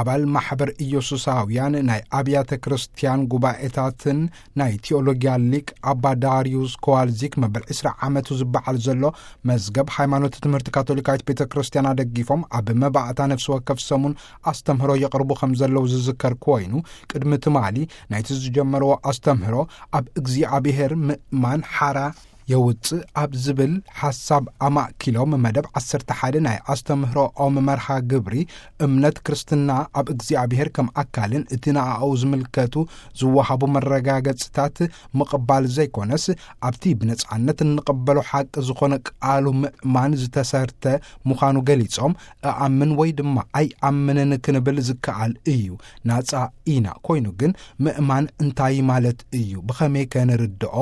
ኣባል ማሕበር ኢየሱሳውያን ናይ ኣብያተ ክርስቲያን ጉባኤታትን ናይ ቲኦሎጊያ ሊቅ ኣባ ዳርዩስ ኮዋልዚክ መበል ዕስራ ዓመቱ ዝበዓል ዘሎ መዝገብ ሃይማኖት ትምህርቲ ካቶሊካዊት ቤተ ክርስቲያን ኣደጊፎም ኣብ መባእታ ነፍሲ ወከፍ ሰሙን ኣስተምህሮ የቕርቡ ከም ዘለዉ ዝዝከር ኮይኑ፣ ቅድሚ ትማሊ ናይቲ ዝጀመርዎ ኣስተምህሮ ኣብ እግዚኣብሔር ምእማን ሓራ የውፅእ ኣብ ዝብል ሓሳብ ኣማእኪሎም መደብ ዓሰርተ ሓደ ናይ ኣስተምህሮኦም መርሃ ግብሪ፣ እምነት ክርስትና ኣብ እግዚኣብሔር ከም ኣካልን እቲ ንኣኡ ዝምልከቱ ዝወሃቡ መረጋገጽታት ምቕባል ዘይኮነስ፣ ኣብቲ ብነጻነት እንቕበሎ ሓቂ ዝኾነ ቃሉ ምእማን ዝተሰርተ ምዃኑ ገሊጾም፣ እኣምን ወይ ድማ ኣይኣምንን ክንብል ዝከኣል እዩ። ናጻ ኢና። ኮይኑ ግን ምእማን እንታይ ማለት እዩ? ብኸመይ ከ ንርድኦ?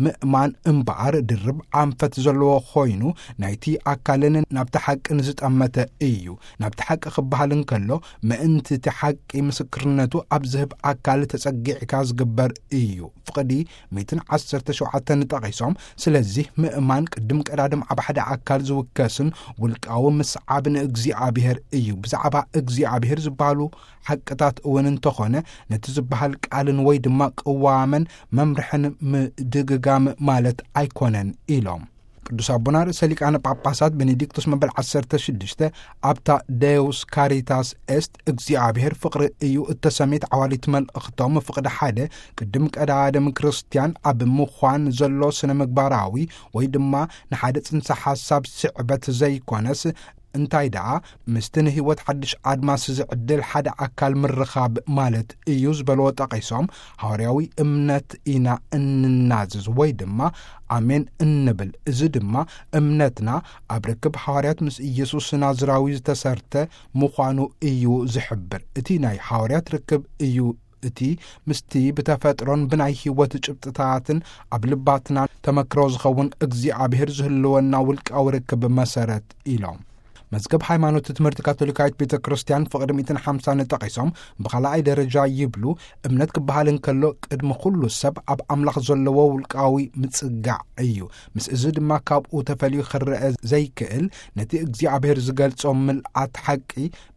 ምእማን እምበኣር ድርብ ኣንፈት ዘለዎ ኮይኑ፣ ናይቲ ኣካልን ናብቲ ሓቅን ዝጠመተ እዩ። ናብቲ ሓቂ ክበሃል እንከሎ፣ ምእንቲ እቲ ሓቂ ምስክርነቱ ኣብ ዝህብ ኣካል ተጸጊዕካ ዝግበር እዩ። ፍቕዲ ሚእትን ዓሰርተ ሸውዓተን ጠቒሶም፣ ስለዚህ ምእማን ቅድም ቀዳድም ኣብ ሓደ ኣካል ዝውከስን ውልቃዊ ምስዓብ ንእግዚኣብሔር እዩ። ብዛዕባ እግዚኣብሔር ዝበሃሉ ሓቅታት እውን እንተኾነ፣ ነቲ ዝበሃል ቃልን ወይ ድማ ቅዋመን መምርሕን ምድግጋም ማለት ኣይኮነን ኢሎም። ቅዱስ ኣቦና ርእሰ ሊቃነ ጳጳሳት ቤኔዲክቶስ መበል ዓሰርተ ሽዱሽተ ኣብታ ደውስ ካሪታስ ኤስት እግዚኣብሔር ፍቕሪ እዩ እተሰሜት ዓዋሊት መልእኽቶም ፍቕዲ ሓደ ቅድም ቀዳድም ክርስቲያን ኣብ ምዃን ዘሎ ስነ ምግባራዊ ወይ ድማ ንሓደ ጽንሰ ሓሳብ ስዕበት ዘይኮነስ፣ እንታይ ደኣ ምስቲ ንህይወት ሓድሽ ኣድማስ ዝዕድል ሓደ ኣካል ምርኻብ ማለት እዩ ዝበልዎ ጠቒሶም፣ ሃዋርያዊ እምነት ኢና እንናዝዝ ወይ ድማ ኣሜን እንብል። እዚ ድማ እምነትና ኣብ ርክብ ሃዋርያት ምስ ኢየሱስ ናዝራዊ ዝተሰርተ ምዃኑ እዩ ዝሕብር። እቲ ናይ ሃዋርያት ርክብ እዩ እቲ ምስቲ ብተፈጥሮን ብናይ ህይወት ጭብጥታትን ኣብ ልባትና ተመክሮ ዝኸውን እግዚኣብሔር ዝህልወና ውልቃዊ ርክብ መሰረት ኢሎም። መዝገብ ሃይማኖት ትምህርቲ ካቶሊካዊት ቤተ ክርስቲያን ፍቕዲ ሚእትን ሓምሳን ጠቒሶም፣ ብኻልኣይ ደረጃ ይብሉ፣ እምነት ክበሃል እንከሎ ቅድሚ ኩሉ ሰብ ኣብ ኣምላኽ ዘለዎ ውልቃዊ ምጽጋዕ እዩ። ምስ እዚ ድማ ካብኡ ተፈልዩ ክረአ ዘይክእል፣ ነቲ እግዚኣብሔር ዝገልጾ ምልኣት ሓቂ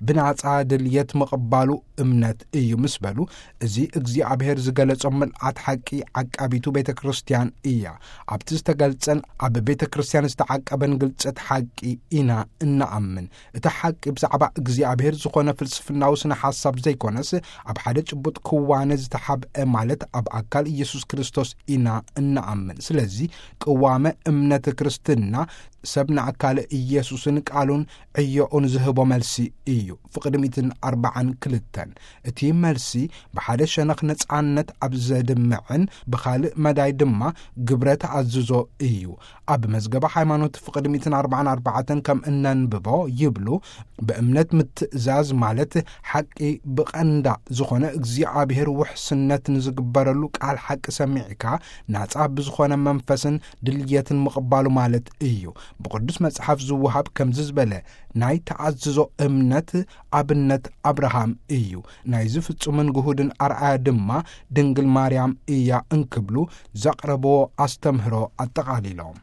ብናጻ ድልየት ምቕባሉ እምነት እዩ ምስ በሉ፣ እዚ እግዚኣብሔር ዝገለጾ ምልኣት ሓቂ ዓቃቢቱ ቤተ ክርስቲያን እያ። ኣብቲ ዝተገልጸን ኣብ ቤተ ክርስቲያን ዝተዓቀበን ግልጸት ሓቂ ኢና እንኣምን። እቲ ሓቂ ብዛዕባ እግዚኣብሔር ዝኾነ ፍልስፍናዊ ስነ ሓሳብ ዘይኮነስ፣ ኣብ ሓደ ጭቡጥ ክዋነ ዝተሓብአ ማለት ኣብ ኣካል ኢየሱስ ክርስቶስ ኢና እንኣምን። ስለዚ ቅዋመ እምነት ክርስትና ሰብ ንኣካል ኢየሱስን ቃሉን ዕዮኡን ዝህቦ መልሲ እዩ። ፍቕዲ ሚእትን ኣርባዓን ክልተን እቲ መልሲ ብሓደ ሸነኽ ነጻነት ኣብ ዘድምዕን ብኻልእ መዳይ ድማ ግብረ ተኣዝዞ እዩ። ኣብ መዝገበ ሃይማኖት ፍቕዲ ሚእትን ኣርባዓን ኣርባዕተን ከም እነንብቦ ይብሉ፣ ብእምነት ምትእዛዝ ማለት ሓቂ ብቐንዳ ዝኾነ እግዚኣብሔር ውሕስነት ንዝግበረሉ ቃል ሓቂ ሰሚዕካ ናጻ ብዝኾነ መንፈስን ድልየትን ምቕባሉ ማለት እዩ። ብቅዱስ መጽሓፍ ዝወሃብ ከምዚ ዝበለ ናይ ተኣዝዞ እምነት ኣብነት ኣብርሃም እዩ። ናይዚ ፍጹምን ግሁድን ኣርኣያ ድማ ድንግል ማርያም እያ እንክብሉ ዘቕረብዎ ኣስተምህሮ ኣጠቓሊሎም።